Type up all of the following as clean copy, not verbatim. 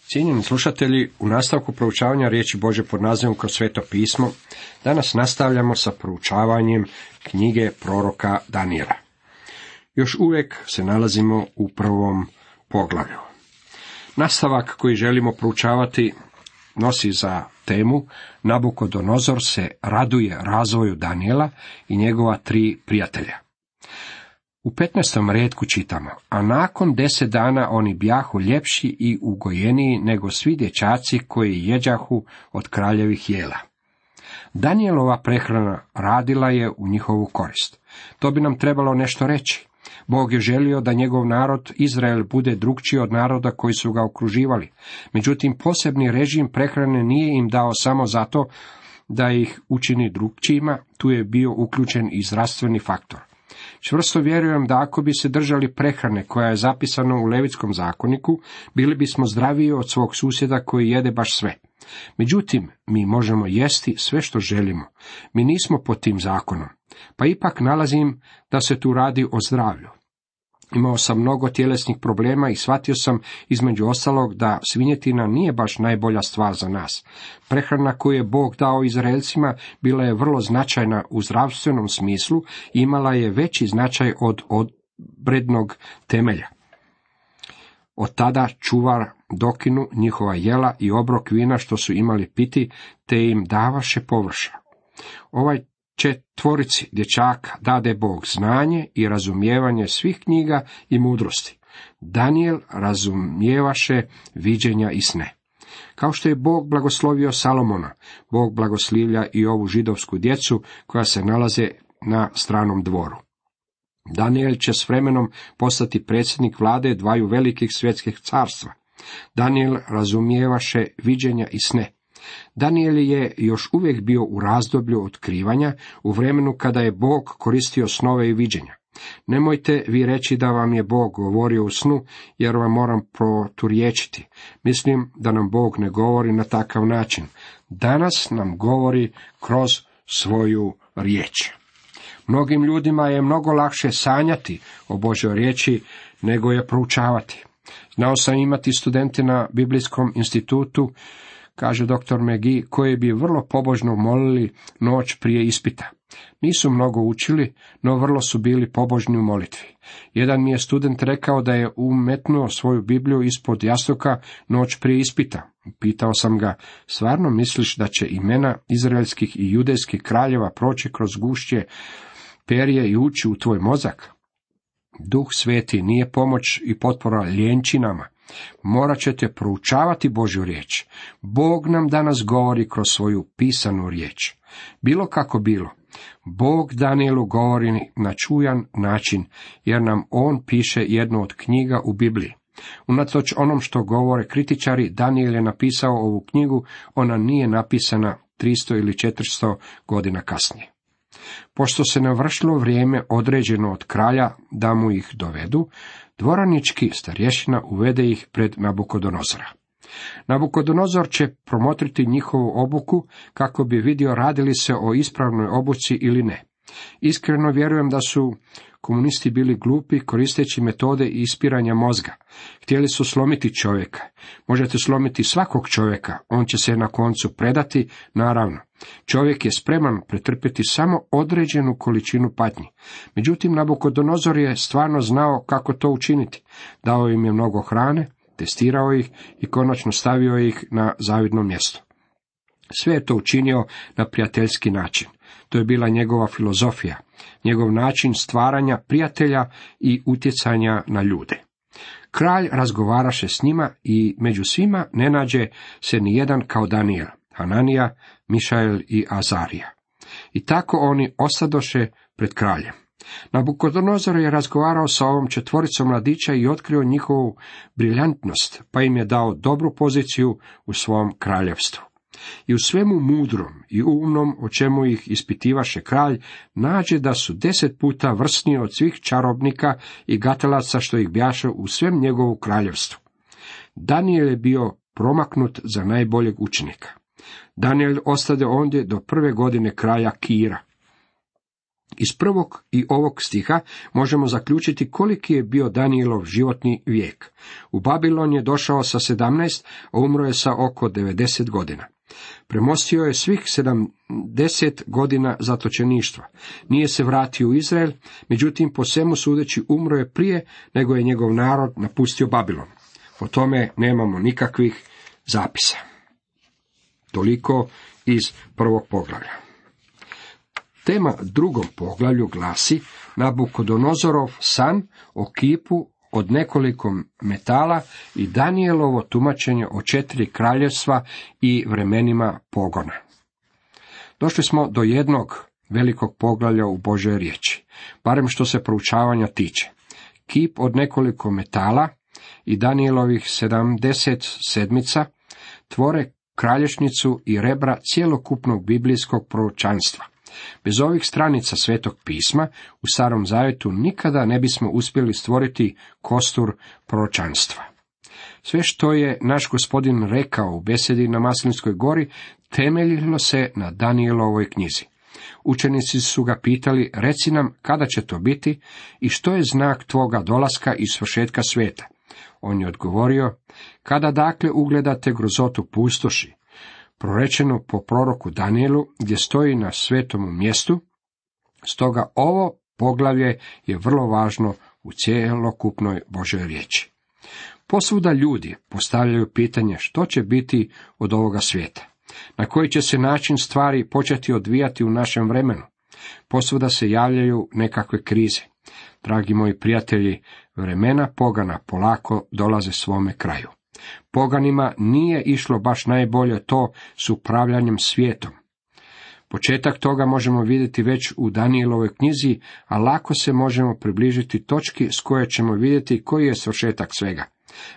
Cijenjeni slušatelji, u nastavku proučavanja riječi Božje pod nazivom Kroz sveto pismo, danas nastavljamo sa proučavanjem knjige proroka Danijela. Još uvijek se nalazimo u prvom poglavlju. Nastavak koji želimo proučavati nosi za temu Nabukodonozor se raduje razvoju Danijela i njegova 3 prijatelja. U 15. retku čitamo: a nakon 10 dana oni bjahu ljepši i ugojeniji nego svi dječaci koji jeđahu od kraljevih jela. Danijelova prehrana radila je u njihovu korist. To bi nam trebalo nešto reći. Bog je želio da njegov narod Izrael bude drukčiji od naroda koji su ga okruživali. Međutim, posebni režim prehrane nije im dao samo zato da ih učini drukčijima, tu je bio uključen i zdravstveni faktor. Čvrsto vjerujem da ako bi se držali prehrane koja je zapisana u Levitskom zakoniku, bili bismo zdraviji od svog susjeda koji jede baš sve. Međutim, mi možemo jesti sve što želimo. Mi nismo pod tim zakonom. Pa ipak nalazim da se tu radi o zdravlju. Imao sam mnogo tjelesnih problema i shvatio sam između ostalog da svinjetina nije baš najbolja stvar za nas. Prehrana koju je Bog dao Izraelcima bila je vrlo značajna u zdravstvenom smislu i imala je veći značaj od obrednog temelja. Od tada čuvar dokinu njihova jela i obrok vina što su imali piti, te im davaše površa. Ovaj 4 dječaka dade Bog znanje i razumijevanje svih knjiga i mudrosti. Danijel razumijevaše viđenja i sne. Kao što je Bog blagoslovio Salomona, Bog blagoslivlja i ovu židovsku djecu koja se nalaze na stranom dvoru. Danijel će s vremenom postati predsjednik vlade 2 velikih svjetskih carstva. Danijel razumijevaše viđenja i sne. Danijel je još uvijek bio u razdoblju otkrivanja, u vremenu kada je Bog koristio snove i viđenja. Nemojte vi reći da vam je Bog govorio u snu, jer vam moram proturječiti. Mislim da nam Bog ne govori na takav način. Danas nam govori kroz svoju riječ. Mnogim ljudima je mnogo lakše sanjati o Božjoj riječi nego je proučavati. Znao sam imati studente na Biblijskom institutu, kaže dr. McGee, koji bi vrlo pobožno molili noć prije ispita. Nisu mnogo učili, no vrlo su bili pobožni u molitvi. Jedan mi je student rekao da je umetnuo svoju Bibliju ispod jastuka noć prije ispita. Pitao sam ga: stvarno misliš da će imena izraelskih i judejskih kraljeva proći kroz gušće perje i ući u tvoj mozak? Duh Sveti nije pomoć i potpora ljenčinama. Morat ćete proučavati Božju riječ. Bog nam danas govori kroz svoju pisanu riječ. Bilo kako bilo, Bog Danijelu govori na čujan način, jer nam on piše jednu od knjiga u Bibliji. Unatoč onom što govore kritičari, Danijel je napisao ovu knjigu, ona nije napisana 300 ili 400 godina kasnije. Pošto se navršilo vrijeme određeno od kralja da mu ih dovedu, dvoranički starješina uvede ih pred Nabukodonozora. Nabukodonozor će promotriti njihovu obuku kako bi vidio radili se o ispravnoj obuci ili ne. Iskreno vjerujem da su komunisti bili glupi koristeći metode ispiranja mozga. Htjeli su slomiti čovjeka. Možete slomiti svakog čovjeka, on će se na koncu predati, naravno. Čovjek je spreman pretrpjeti samo određenu količinu patnji. Međutim, Nabukodonozor je stvarno znao kako to učiniti. Dao im je mnogo hrane, testirao ih i konačno stavio ih na zavidno mjesto. Sve je to učinio na prijateljski način. To je bila njegova filozofija, njegov način stvaranja prijatelja i utjecanja na ljude. Kralj razgovaraše s njima i među svima ne nađe se ni jedan kao Danijel, Hananija, Mišael i Azarija. I tako oni ostadoše pred kraljem. Nabukodonozor je razgovarao sa ovom 4 mladića i otkrio njihovu briljantnost, pa im je dao dobru poziciju u svom kraljevstvu. I u svemu mudrom i umnom, o čemu ih ispitivaše kralj, nađe da su 10 puta vrsniji od svih čarobnika i gatalaca što ih bjaše u svem njegovu kraljevstvu. Danijel je bio promaknut za najboljeg učenika. Danijel ostade ondje do 1. godine kralja Kira. Iz prvog i ovog stiha možemo zaključiti koliki je bio Danijelov životni vijek. U Babilon je došao sa 17, a umro je sa oko 90 godina. Premostio je svih 70 godina zatočeništva. Nije se vratio u Izrael, međutim po svemu sudeći umro je prije nego je njegov narod napustio Babilon. O tome nemamo nikakvih zapisa. Toliko iz prvog poglavlja. Tema drugom poglavlju glasi Nabukodonozorov san o kipu od nekoliko metala i Danijelovo tumačenje o 4 kraljevstva i vremenima pogona. Došli smo do jednog velikog poglavlja u Božoj riječi, barem što se proučavanja tiče. Kip od nekoliko metala i Danijelovih 70 sedmica tvore kralješnicu i rebra cjelokupnog biblijskog proročanstva. Bez ovih stranica Svetog pisma u Starom Zavjetu nikada ne bismo uspjeli stvoriti kostur proročanstva. Sve što je naš Gospodin rekao u besedi na Maslinskoj gori temeljilo se na Danijelovoj knjizi. Učenici su ga pitali, reci nam kada će to biti i što je znak tvoga dolaska i svršetka svijeta. On je odgovorio, kada dakle ugledate grozotu pustoši, prorečeno po proroku Danijelu, gdje stoji na svetom mjestu, stoga ovo poglavlje je vrlo važno u cjelokupnoj Božoj riječi. Posvuda ljudi postavljaju pitanje što će biti od ovoga svijeta, na koji će se način stvari početi odvijati u našem vremenu. Posvuda se javljaju nekakve krize. Dragi moji prijatelji, vremena pogana polako dolaze svome kraju. Poganima nije išlo baš najbolje to s upravljanjem svijetom. Početak toga možemo vidjeti već u Danijelovoj knjizi, a lako se možemo približiti točki s koje ćemo vidjeti koji je svršetak svega.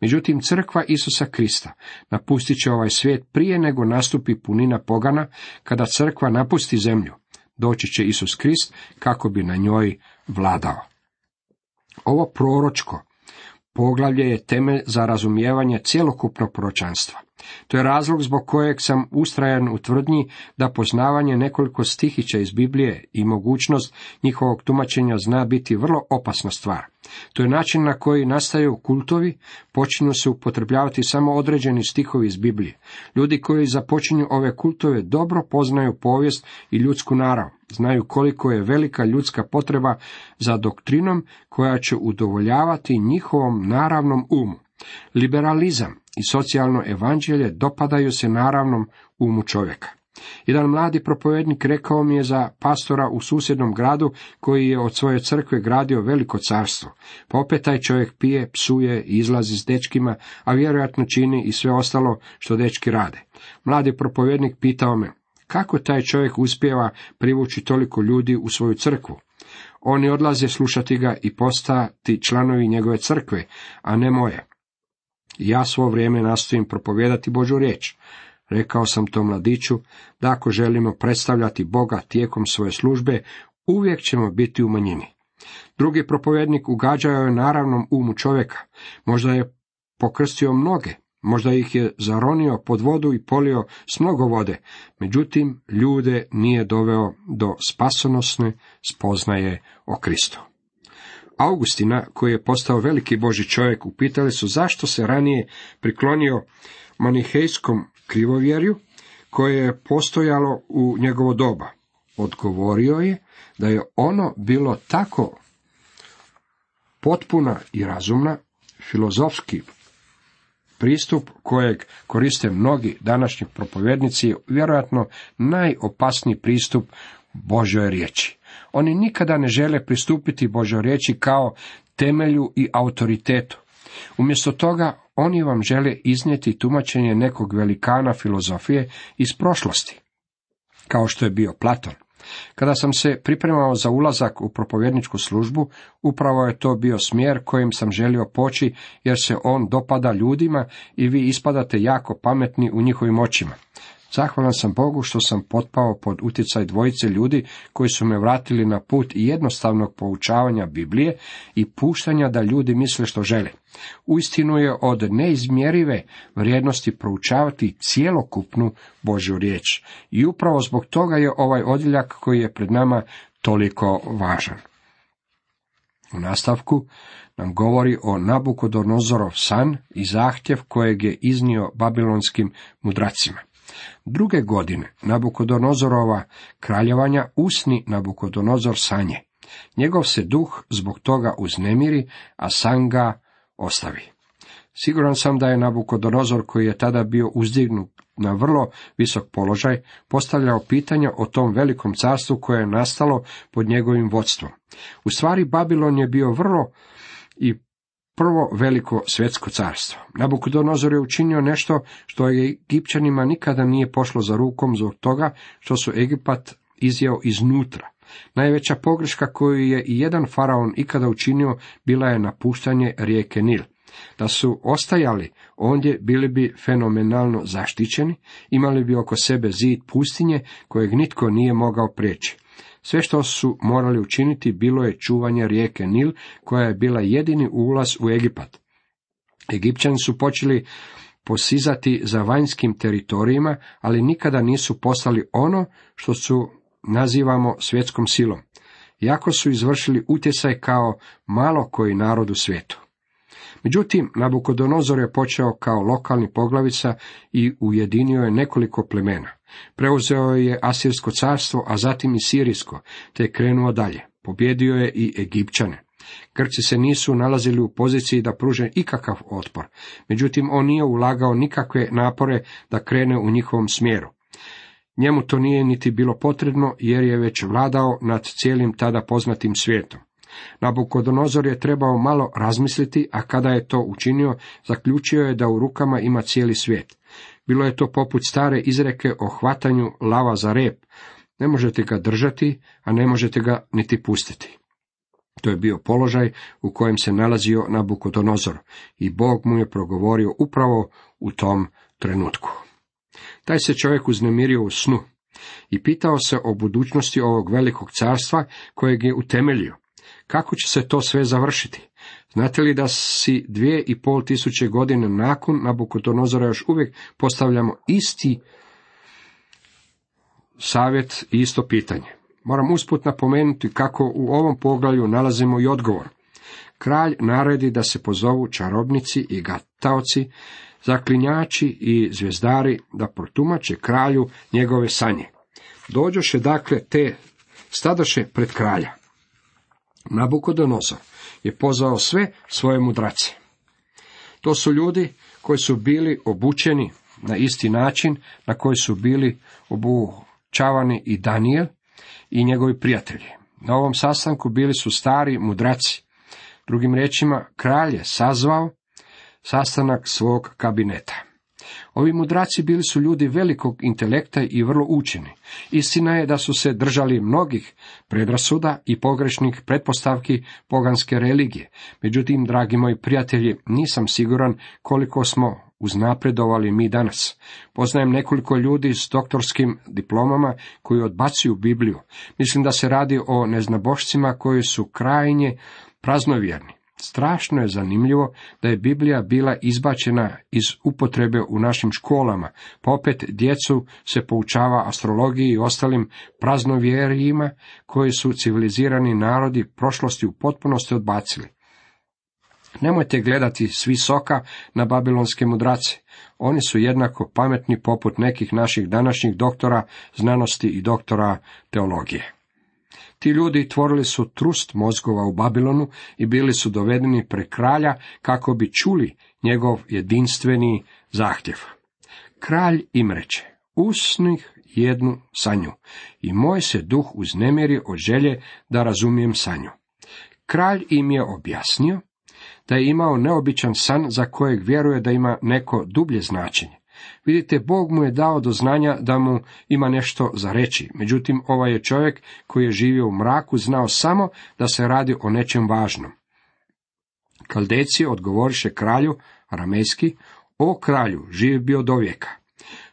Međutim, crkva Isusa Krista napustit će ovaj svijet prije nego nastupi punina pogana. Kada crkva napusti zemlju, doći će Isus Krist kako bi na njoj vladao. Ovo proročko poglavlje je temelj za razumijevanje cjelokupnog proročanstva. To je razlog zbog kojeg sam ustrajan u tvrdnji da poznavanje nekoliko stihića iz Biblije i mogućnost njihovog tumačenja zna biti vrlo opasna stvar. To je način na koji nastaju kultovi, počinju se upotrebljavati samo određeni stihovi iz Biblije. Ljudi koji započinju ove kultove dobro poznaju povijest i ljudsku narav, znaju koliko je velika ljudska potreba za doktrinom koja će udovoljavati njihovom naravnom umu. Liberalizam i socijalno evanđelje dopadaju se naravnom umu čovjeka. Jedan mladi propovednik rekao mi je za pastora u susjednom gradu koji je od svoje crkve gradio veliko carstvo. Pa opet taj čovjek pije, psuje i izlazi s dečkima, a vjerojatno čini i sve ostalo što dečki rade. Mladi propovednik pitao me, kako taj čovjek uspijeva privući toliko ljudi u svoju crkvu? Oni odlaze slušati ga i postati članovi njegove crkve, a ne moje. Ja svo vrijeme nastojim propovijedati Božju riječ. Rekao sam tom mladiću da ako želimo predstavljati Boga tijekom svoje službe, uvijek ćemo biti u manjini. Drugi propovednik ugađao je naravnom umu čovjeka. Možda je pokrstio mnoge, možda ih je zaronio pod vodu i polio s mnogo vode, međutim ljude nije doveo do spasonosne spoznaje o Kristu. Augustina, koji je postao veliki Božji čovjek, upitali su zašto se ranije priklonio manihejskom krivovjerju koje je postojalo u njegovo doba. Odgovorio je da je ono bilo tako potpuna i razumna, filozofski pristup kojeg koriste mnogi današnji propovjednici, vjerojatno najopasniji pristup Božjoj riječi. Oni nikada ne žele pristupiti Božjoj riječi kao temelju i autoritetu. Umjesto toga, oni vam žele iznijeti tumačenje nekog velikana filozofije iz prošlosti, kao što je bio Platon. Kada sam se pripremao za ulazak u propovjedničku službu, upravo je to bio smjer kojim sam želio poći, jer se on dopada ljudima i vi ispadate jako pametni u njihovim očima. Zahvalan sam Bogu što sam potpao pod utjecaj dvojice ljudi koji su me vratili na put jednostavnog poučavanja Biblije i puštanja da ljudi misle što žele. Uistinu je od neizmjerive vrijednosti proučavati cjelokupnu Božju riječ. I upravo zbog toga je ovaj odjeljak koji je pred nama toliko važan. U nastavku nam govori o Nabukodonozorov san i zahtjev kojeg je iznio babilonskim mudracima. 2. godine Nabukodonozorova kraljevanja usni Nabukodonozor sanje. Njegov se duh zbog toga uznemiri, a san ga ostavi. Siguran sam da je Nabukodonozor, koji je tada bio uzdignut na vrlo visok položaj, postavljao pitanja o tom velikom carstvu koje je nastalo pod njegovim vodstvom. U stvari, Babilon je bio vrlo i prvo veliko svjetsko carstvo. Nabukodonozor je učinio nešto što je Egipćanima nikada nije pošlo za rukom zbog toga što su Egipat izjeo iznutra. Najveća pogreška koju je i jedan faraon ikada učinio bila je napuštanje rijeke Nil. Da su ostajali ondje, bili bi fenomenalno zaštićeni, imali bi oko sebe zid pustinje kojeg nitko nije mogao prijeći. Sve što su morali učiniti bilo je čuvanje rijeke Nil, koja je bila jedini ulaz u Egipat. Egipćani su počeli posizati za vanjskim teritorijima, ali nikada nisu postali ono što su nazivamo svjetskom silom, iako su izvršili utjecaj kao malo koji narod u svijetu. Međutim, Nabukodonozor je počeo kao lokalni poglavica i ujedinio je nekoliko plemena. Preuzeo je Asirsko carstvo, a zatim i Sirijsko, te je krenuo dalje. Pobjedio je i Egipćane. Grci se nisu nalazili u poziciji da pruže ikakav otpor, međutim on nije ulagao nikakve napore da krene u njihovom smjeru. Njemu to nije niti bilo potrebno, jer je već vladao nad cijelim tada poznatim svijetom. Nabukodonozor je trebao malo razmisliti, a kada je to učinio, zaključio je da u rukama ima cijeli svijet. Bilo je to poput stare izreke o hvatanju lava za rep. Ne možete ga držati, a ne možete ga niti pustiti. To je bio položaj u kojem se nalazio Nabukodonozor i Bog mu je progovorio upravo u tom trenutku. Taj se čovjek uznemirio u snu i pitao se o budućnosti ovog velikog carstva kojeg je utemeljio. Kako će se to sve završiti? Znate li da si 2500 godine nakon Nabukodonozora još uvijek postavljamo isti savjet i isto pitanje? Moram usput napomenuti kako u ovom poglavlju nalazimo i odgovor. Kralj naredi da se pozovu čarobnici i gataoci, zaklinjači i zvijezdari da protumače kralju njegove sanje. Dođoše dakle te stadoše pred kralja. Nabukodonozor je pozvao sve svoje mudrace. To su ljudi koji su bili obučeni na isti način na koji su bili obučavani i Danijel i njegovi prijatelji. Na ovom sastanku bili su stari mudraci. Drugim riječima, kralj je sazvao sastanak svog kabineta. Ovi mudraci bili su ljudi velikog intelekta i vrlo učeni. Istina je da su se držali mnogih predrasuda i pogrešnih pretpostavki poganske religije. Međutim, dragi moji prijatelji, nisam siguran koliko smo uznapredovali mi danas. Poznajem nekoliko ljudi s doktorskim diplomama koji odbacuju Bibliju. Mislim da se radi o neznabošcima koji su krajnje praznovjerni. Strašno je zanimljivo da je Biblija bila izbačena iz upotrebe u našim školama, pa opet djecu se poučava astrologiji i ostalim praznovjerijima koji su civilizirani narodi prošlosti u potpunosti odbacili. Nemojte gledati s visoka na babilonske mudrace. Oni su jednako pametni poput nekih naših današnjih doktora znanosti i doktora teologije. Ti ljudi tvorili su trust mozgova u Babilonu i bili su dovedeni pred kralja kako bi čuli njegov jedinstveni zahtjev. Kralj im reče: usnih jednu sanju, i moj se duh uznemiri od želje da razumijem sanju. Kralj im je objasnio da je imao neobičan san za kojeg vjeruje da ima neko dublje značenje. Vidite, Bog mu je dao do znanja da mu ima nešto za reći, međutim ovaj je čovjek koji je živio u mraku znao samo da se radi o nečem važnom. Kaldejci odgovoriše kralju, aramejski: o kralju, živ bi od vijeka.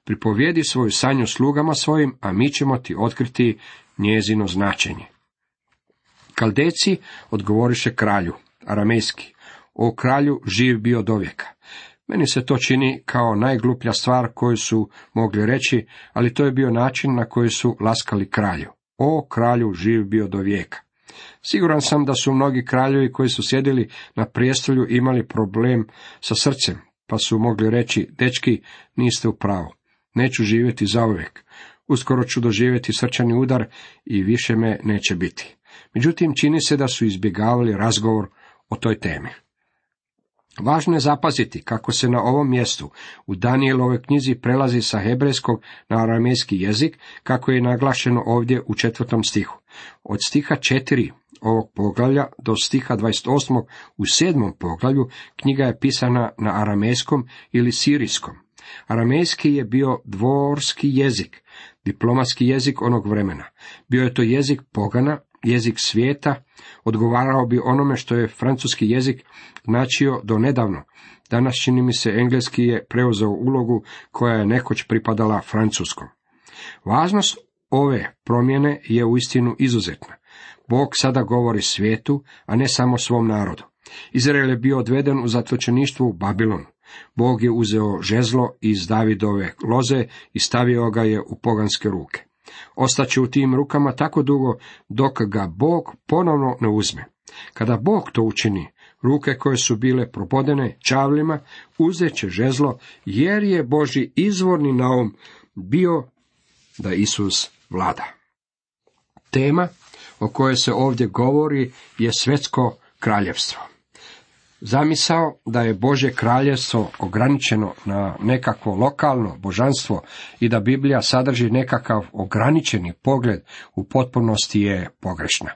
Pripovijedi svoju sanju slugama svojim, a mi ćemo ti otkriti njezino značenje. Kaldejci odgovoriše kralju, aramejski: o kralju, živ bi od vijeka. Meni se to čini kao najgluplja stvar koju su mogli reći, ali to je bio način na koji su laskali kralju. o kralju živ bio do vijeka. Siguran sam da su mnogi kraljevi koji su sjedili na prijestolju imali problem sa srcem, pa su mogli reći, dečki, niste u pravu, neću živjeti zauvijek, uskoro ću doživjeti srčani udar i više me neće biti. Međutim, čini se da su izbjegavali razgovor o toj temi. Važno je zapaziti kako se na ovom mjestu u Danijelovoj knjizi prelazi sa hebrejskog na aramejski jezik, kako je naglašeno ovdje u 4. stihu. Od stiha 4 ovog poglavlja do stiha 28. u 7. poglavlju knjiga je pisana na aramejskom ili sirijskom. Aramejski je bio dvorski jezik, diplomatski jezik onog vremena. Bio je to jezik pogana, jezik svijeta, odgovarao bi onome što je francuski jezik značio do nedavno. Danas čini mi se engleski je preuzeo ulogu koja je nekoć pripadala francuskom. Važnost ove promjene je uistinu izuzetna. Bog sada govori svijetu, a ne samo svom narodu. Izrael je bio odveden u zatočeništvo u Babilonu. Bog je uzeo žezlo iz Davidove loze i stavio ga je u poganske ruke. Ostaće u tim rukama tako dugo dok ga Bog ponovno ne uzme. Kada Bog to učini, ruke koje su bile probodene čavlima uzet će žezlo, jer je Božji izvorni naum bio da Isus vlada. Tema o kojoj se ovdje govori je svjetsko kraljevstvo. Zamisao da je Božje kraljevstvo ograničeno na nekakvo lokalno božanstvo i da Biblija sadrži nekakav ograničeni pogled u potpunosti je pogrešna.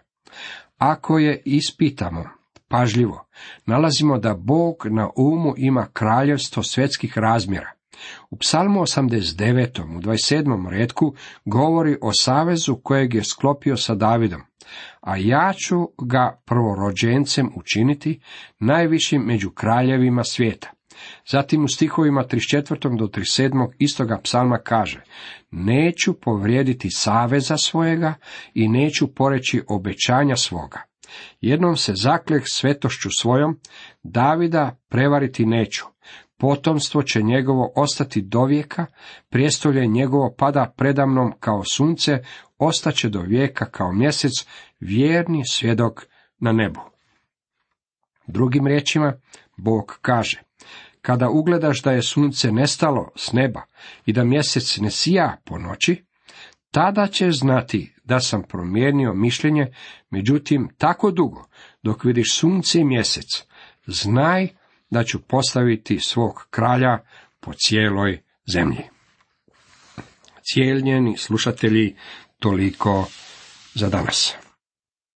Ako je ispitamo pažljivo, nalazimo da Bog na umu ima kraljevstvo svjetskih razmjera. U Psalmu 89. u 27. retku govori o savezu kojeg je sklopio sa Davidom, a ja ću ga prvorođencem učiniti, najvišim među kraljevima svijeta. Zatim u stihovima 34. do 37. istoga psalma kaže, neću povrijediti saveza svojega i neću poreći obećanja svoga. Jednom se zakleh svetošću svojom, Davida prevariti neću. Potomstvo će njegovo ostati dovijeka, prijestolje njegovo pada predamnom kao sunce, ostaće do vijeka kao mjesec, vjerni svjedok na nebu. Drugim riječima, Bog kaže, kada ugledaš da je sunce nestalo s neba i da mjesec ne sija po noći, tada ćeš znati da sam promijenio mišljenje, međutim tako dugo dok vidiš sunce i mjesec, znaj da ću postaviti svog kralja po cijeloj zemlji. Cijenjeni slušatelji, toliko za danas.